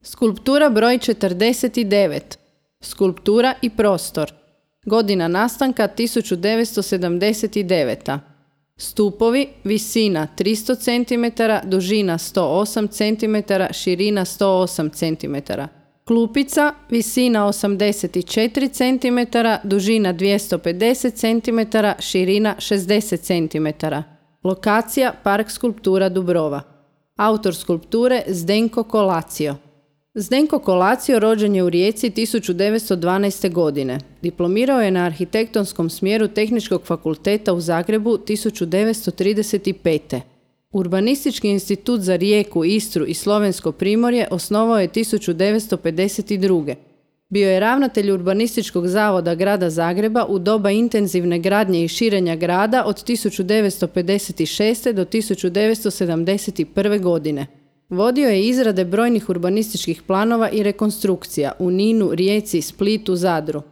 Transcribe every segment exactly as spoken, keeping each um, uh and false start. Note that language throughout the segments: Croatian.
Skulptura broj četrdeset devet. Skulptura i prostor. Godina nastanka tisuću devetsto sedamdeset deveta. Stupovi, visina tristo centimetara, dužina sto osam centimetara, širina sto osam centimetara. Klupica, visina osamdeset četiri centimetara, dužina dvjesto pedeset centimetara, širina šezdeset centimetara. Lokacija Park skulptura Dubrova. Autor skulpture Zdenko Kolacio. Zdenko Kolacio rođen je u Rijeci tisuću devetsto dvanaeste. godine. Diplomirao je na arhitektonskom smjeru Tehničkog fakulteta u Zagrebu tisuću devetsto trideset pete. Urbanistički institut za Rijeku, Istru i Slovensko Primorje osnovao je tisuću devetsto pedeset druge. Bio je ravnatelj Urbanističkog zavoda grada Zagreba u doba intenzivne gradnje i širenja grada od tisuću devetsto pedeset šeste. do tisuću devetsto sedamdeset prve. godine. Vodio je izrade brojnih urbanističkih planova i rekonstrukcija u Ninu, Rijeci, Splitu, Zadru.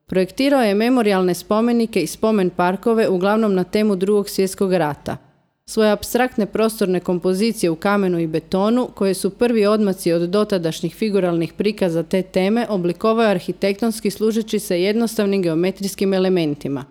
Projektirao je memorijalne spomenike i spomen parkove uglavnom na temu Drugog svjetskog rata. Svoje apstraktne prostorne kompozicije u kamenu i betonu, koje su prvi odmaci od dotadašnjih figuralnih prikaza te teme, oblikovao je arhitektonski služeći se jednostavnim geometrijskim elementima.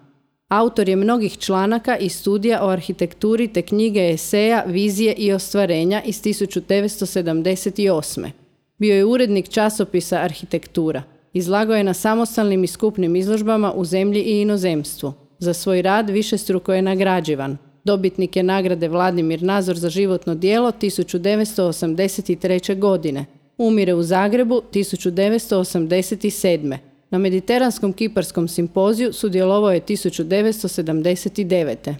Autor je mnogih članaka i studija o arhitekturi te knjige eseja, vizije i ostvarenja iz tisuću devetsto sedamdeset osme. Bio je urednik časopisa Arhitektura. Izlagao je na samostalnim i skupnim izložbama u zemlji i inozemstvu. Za svoj rad višestruko je nagrađivan. Dobitnik je nagrade Vladimir Nazor za životno djelo tisuću devetsto osamdeset treće. godine. Umire u Zagrebu tisuću devetsto osamdeset sedme. Na Mediteranskom kiparskom simpoziju sudjelovao je tisuću devetsto sedamdeset devete.